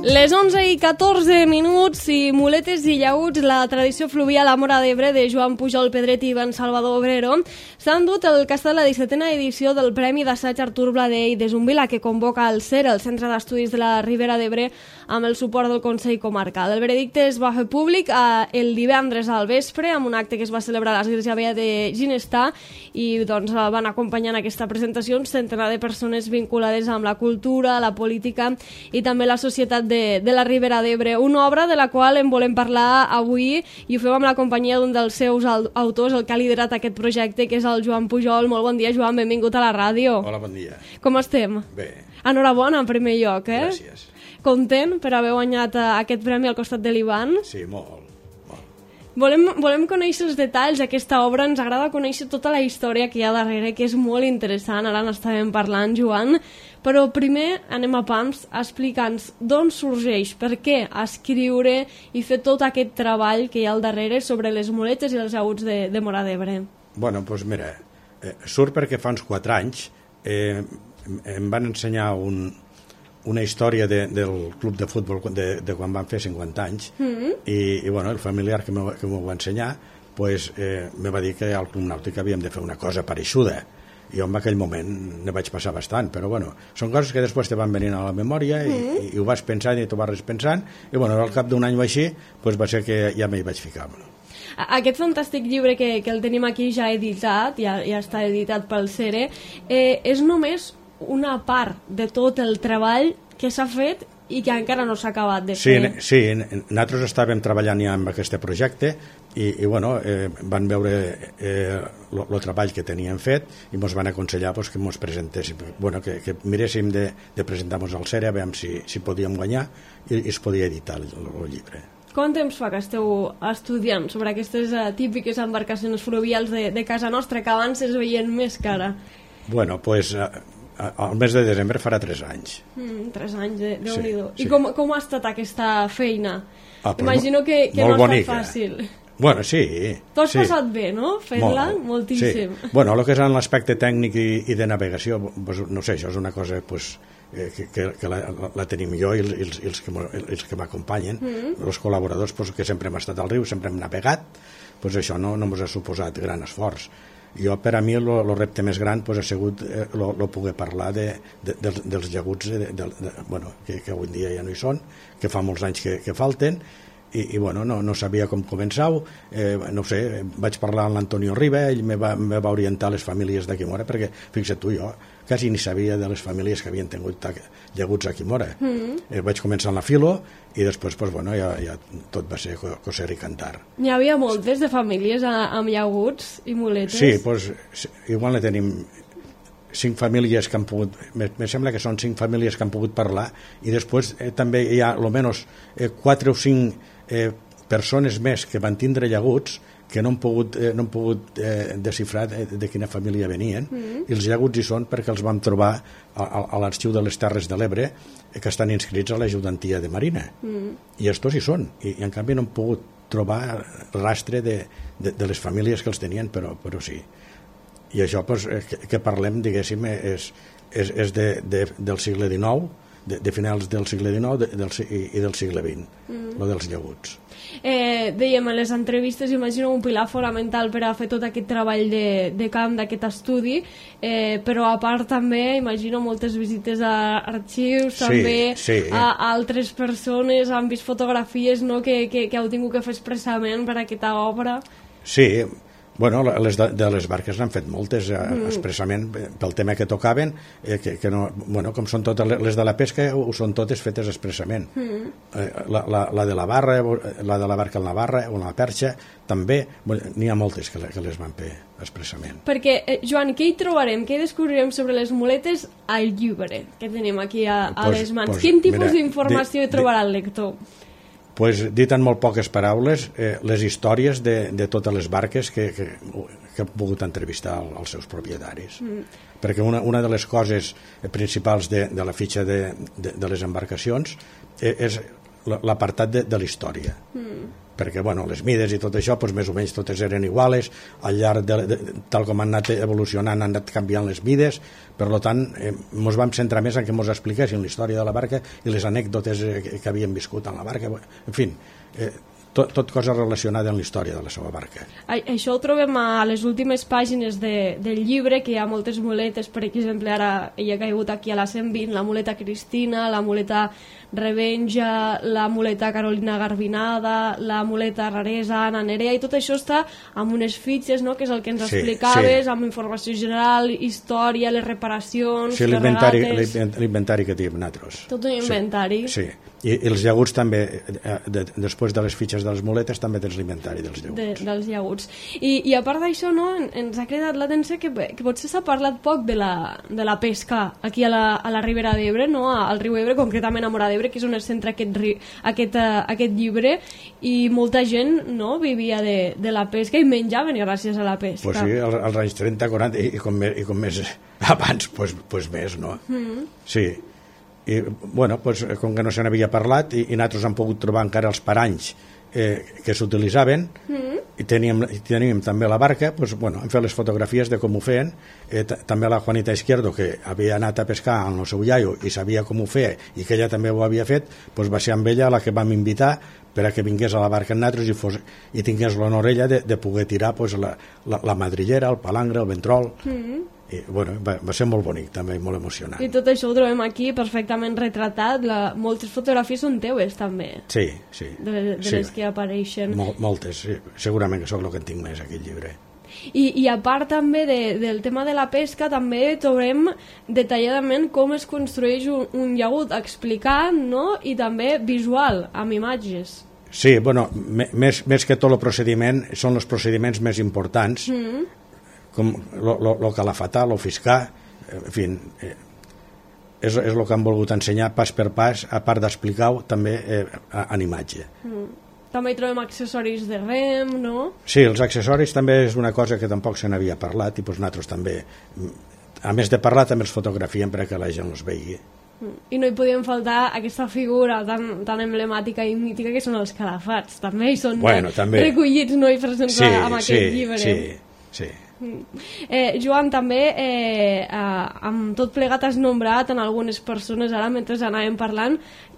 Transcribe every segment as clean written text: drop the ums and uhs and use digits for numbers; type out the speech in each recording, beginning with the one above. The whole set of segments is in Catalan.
Les 11:14 i muletes i llaüts, la tradició fluvial a Móra d'Ebre de Joan Pujol Pedret i Ben Salvador Obrero s'ha endut el que ha estat la 17a edició del Premi d'Assaig Artur Bladé i de Zumbila, que convoca el CER, el Centre d'Estudis de la Ribera d'Ebre, amb el suport del Consell Comarcal. El veredicte es va fer públic el divendres al vespre amb un acte que es va celebrar a l'Església Vella de Ginestà i doncs, van acompanyar en aquesta presentació un centenar de persones vinculades amb la cultura, la política i també la societat de la Ribera d'Ebre, una obra de la qual en volem parlar avui i ho fem amb la companyia d'un dels seus autors, el que ha liderat aquest projecte, que és el Joan Pujol. Molt bon dia, Joan, benvingut a la ràdio. Hola, bon dia. Com estem? Bé. Enhorabona, en primer lloc, eh? Gràcies. Content per haver guanyat aquest premi al costat de l'Ivan? Sí, molt. Volem conèixer els detalls d'aquesta obra, ens agrada conèixer tota la història que hi ha darrere, que és molt interessant, ara n'estàvem parlant, Joan, però primer anem a pams explicant-nos d'on sorgeix, per què escriure i fer tot aquest treball que hi ha al darrere sobre les muletes i els llaüts de Móra d'Ebre. Bueno, doncs mira, surt perquè fa uns 4 anys em van ensenyar una història del club de futbol de quan van fer 50 anys i bueno, el familiar que m'ho va ensenyar pues, me va dir que al Club Nàutic havíem de fer una cosa pareixuda. Jo en aquell moment ne vaig passar bastant, però bueno, són coses que després te van venint a la memòria i ho vas pensant i t'ho vas repensant i bueno, al cap d'un any o així pues, va ser que ja m'hi vaig ficar. Aquest fantàstic llibre que el tenim aquí ja editat, ja està editat pel CERE, és només una part de tot el treball que s'ha fet i que encara no s'ha acabat de fer. Sí, nosaltres estàvem treballant ja amb aquest projecte i bueno, van veure el treball que teníem fet i ens van aconsellar pues, que ens presentéssim, bueno, que miréssim de presentar-nos al CERE a veure si podíem guanyar i es podia editar el llibre. Quant temps fa que esteu estudiant sobre aquestes típiques embarcacions fluvials de casa nostra, que abans es veien més que ara? Bueno, pues al mes de desembre farà 3 anys. 3 anys, Déu-n'hi-do. Sí. I com ha estat aquesta feina? Imagino que no ha estat fàcil. Bueno, sí. Tu has passat bé, no? Fent-la? Moltíssim. Sí. Bueno, el que és en l'aspecte tècnic i de navegació, pues, no sé, això és una cosa pues, que la tenim jo i els que m'acompanyen, els col·laboradors pues, que sempre hem estat al riu, sempre hem navegat, pues, això no ens ha suposat gran esforç. Jo, per a mi, el repte més gran pues, ha sigut poder parlar dels llaguts bueno, que avui dia ja no hi són, que fa molts anys que falten, i bueno, no sabia com començar, no sé, vaig parlar amb l'Antonio Riba, ell me va orientar a les famílies d'aquí Móra, perquè fixa't tu, jo quasi ni sabia de les famílies que havien tingut llaguts aquí a Móra. Vaig començar amb la filo i després pues, bueno, ja tot va ser coser i cantar. N'hi havia moltes de famílies amb llaguts i muletes? Sí, pues, igual ne tenim 5 famílies que han pogut, me sembla que són 5 famílies que han pogut parlar i després també hi ha almenys 4 o 5 persones més que van tindre llaguts que no han pogut desxifrar de quina família venien i els llaguts hi són perquè els vam trobar a l'Arxiu de les Terres de l'Ebre que estan inscrits a l'Ajudantia de Marina i estos hi són i en canvi no han pogut trobar rastre de les famílies que els tenien, però sí. I això pues, que parlem, diguéssim, és del segle XIX, de finals del segle XIX i del segle XX, lo dels llaguts. Dèiem, a les entrevistes imagino un pilar fonamental per a fer tot aquest treball de camp, d'aquest estudi, però a part també imagino moltes visites a arxius, també a altres persones, han vist fotografies no, que heu tingut que fer expressament per a aquesta obra. Sí, bueno, de les barques n'han fet moltes expressament pel tema que tocaven que no, bueno, com són totes les de la pesca ho són totes fetes expressament la de la barra la de la barca en la barra o en la perxa també, n'hi ha moltes que les van fer expressament. Perquè, Joan, què hi trobarem, què descobrirem sobre les muletes al llibre que tenim aquí a les mans? Quin tipus d'informació hi trobarà el lector? Pues, dit en molt poques paraules, les històries de totes les barques que han pogut entrevistar els seus propietaris. Perquè una de les coses principals de la fitxa de les embarcacions és l'apartat de la història. perquè bueno, les mides i tot això pues, més o menys totes eren iguales, al llarg tal com han anat evolucionant han anat canviant les mides, per tant ens vam centrar més en que ens expliquessin la història de la barca i les anècdotes que havien viscut en la barca, en fi, tot cosa relacionada amb la història de la seva barca. Això ho trobem a les últimes pàgines del llibre, que hi ha moltes muletes, per exemple, ara hi ha caigut aquí a la 120, la muleta Cristina, la muleta Revenja, la muleta Carolina Garbinada, la muleta Raresa, Anna Nerea, i tot això està amb unes fitxes, no?, que és el que ens explicaves, amb informació general, història, les reparacions, les regates... L'inventari que tenim nosaltres. Tot un inventari. Sí. I els llaguts també, després de les fitxes de les muletes, també tens l'inventari dels llaguts. Dels llaguts. I a part d'això, no, ens ha cridat l'atenció que potser s'ha parlat poc de la pesca aquí a la Ribera d'Ebre, no? Al riu Ebre, concretament a Móra d'Ebre, que és on es centra aquest llibre, i molta gent, no, vivia de la pesca i menjaven gràcies a la pesca. Pues sí, als anys 30, 40 i com més abans, pues més, no? Sí. I, bueno, pues, com que no se n'havia parlat i nosaltres hem pogut trobar encara els paranys que s'utilitzaven i teníem també la barca, pues, bueno, hem fet les fotografies de com ho feien, també la Juanita Izquierdo, que havia anat a pescar amb el seu iaio i sabia com ho feia i que ella també ho havia fet, pues, va ser amb ella la que vam invitar per a que vingués a la barca amb nosaltres i tingués l'honor ella de poder tirar pues, la madrillera, el palangre, el ventrol. I, bueno, va ser molt bonic també, molt emocionant. I tot això ho trobem aquí perfectament retratat, moltes fotografies són teues també, sí. de les que apareixen. Moltes, sí. Segurament que sóc el que en tinc més aquí al llibre. I a part també del tema de la pesca, també trobem detalladament com es construeix un llagut explicat, no? I també visual, amb imatges. Sí, bueno, més que tot el procediment són els procediments més importants, com lo calafatar, lo fiscar, en fi, és el que han volgut ensenyar pas per pas, a part d'explicar-ho també en imatge. També hi trobem accessoris de rem, no? Sí, els accessoris també és una cosa que tampoc se n'havia parlat i doncs nosaltres també, a més de parlar, també els fotografiem perquè la gent els vegi. I no hi podien faltar aquesta figura tan emblemàtica i mítica que són els calafats, també hi són recollits, no? I presents amb aquest llibre. Sí. Joan, també amb tot plegat has nombrat en algunes persones, ara mentre anàvem parlant,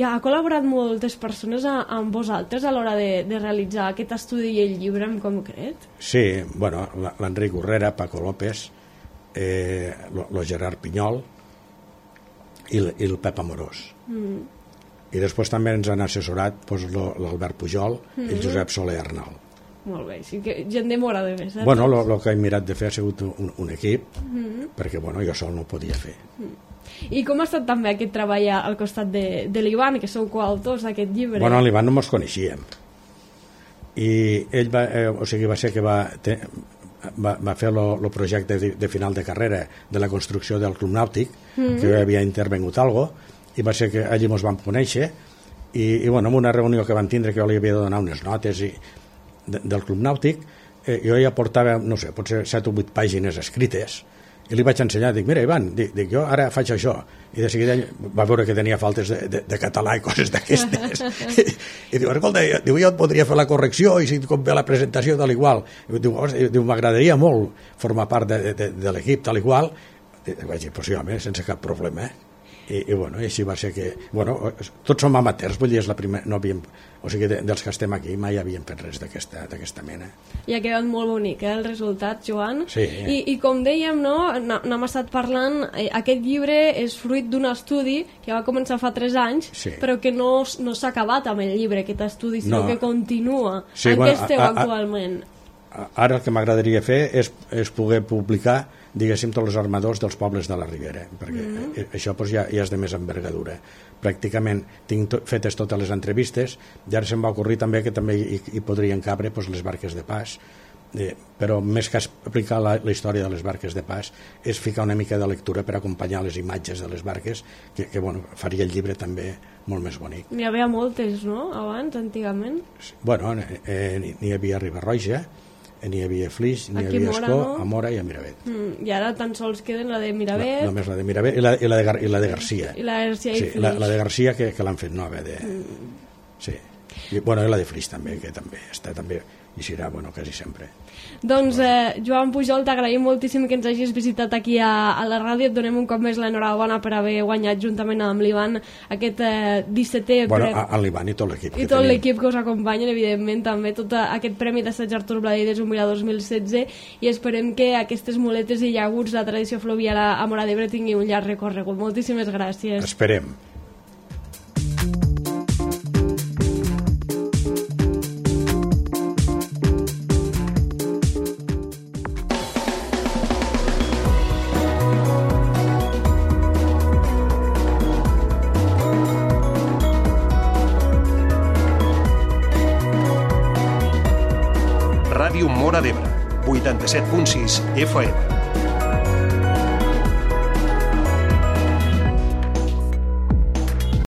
ha col·laborat moltes persones amb vosaltres a l'hora de realitzar aquest estudi i el llibre en concret? Sí, bueno, l'Enric Urrera, Paco López, lo Gerard Pinyol i el Pep Amorós. I després també ens han assessorat l'Albert Pujol i el Josep Soler Arnal. Molt bé, sí que gent de Móra d'Ebre. Bueno, el que he mirat de fer ha sigut un equip, perquè bueno, jo sol no ho podia fer. I com ha estat també aquest treball al costat de l'Ivan, que sou coautors d'aquest llibre? Bueno, l'Ivan no ens coneixíem. I ell va ser que va fer el projecte de final de carrera de la construcció del Club Nàutic, que jo havia intervengut algo, i va ser que allí ens vam conèixer, i bueno, en una reunió que vam tindre, que jo li havia de donar unes notes del Club Nàutic, jo ja portava, no sé, potser 7 o 8 pàgines escrites, i li vaig ensenyar, dic, mira Ivan, dic, jo ara faig això, i de seguida va veure que tenia faltes de català i coses d'aquestes, i diu, escolta, jo et podria fer la correcció i si com ve la presentació tal i qual, diu, m'agradaria molt formar part de l'equip tal i qual, vaig dir, pues sí, home, sense cap problema, i bueno, i així va ser que, bueno, tots som amateurs, vull dir, és la primera, no havíem, o sigui, dels que estem aquí mai havíem fet res d'aquesta mena. I ha quedat molt bonic, el resultat, Joan. Sí. I com dèiem, no, n'hem estat parlant, aquest llibre és fruit d'un estudi que va començar fa 3 anys, però que no s'ha acabat amb el llibre, aquest estudi, sinó que continua. En què esteu actualment? Ara el que m'agradaria fer és poder publicar, diguéssim, tots els armadors dels pobles de la Ribera, perquè això ja és de més envergadura. Pràcticament tinc fetes totes les entrevistes, i ara se'm va ocorrir també que també hi podrien cabre les barques de pas, però més que explicar la història de les barques de pas és ficar una mica de lectura per acompanyar les imatges de les barques, que bueno, faria el llibre també molt més bonic. N'hi havia moltes, no?, abans, antigament? Bueno, n'hi havia a Riba-roja, n'hi havia Flix, n'hi havia Escó, a Móra i a Miravet. I ara tan sols queden la de Miravet. Només la de Miravet i la de Garcia. I la de Garcia i Flix. La de Garcia que l'han fet nova. Sí. I la de Flix també, que també està també, i serà, quasi sempre. Doncs, Joan Pujol, t'agraïm moltíssim que ens hagis visitat aquí a la ràdio. Et donem un cop més l'enhorabona per haver guanyat juntament amb l'Ivan aquest 17è premi. A l'Ivan i tot l'equip. I tot l'equip que us acompanyen, evidentment, també tot aquest premi d'assaig Artur Bladí de Jubilà 2016, i esperem que aquestes muletes i llaguts, la tradició fluvial a Móra d'Ebre tingui un llarg recorregut. Moltíssimes gràcies. Esperem. Ràdio Móra d'Ebre, 87.6 FM.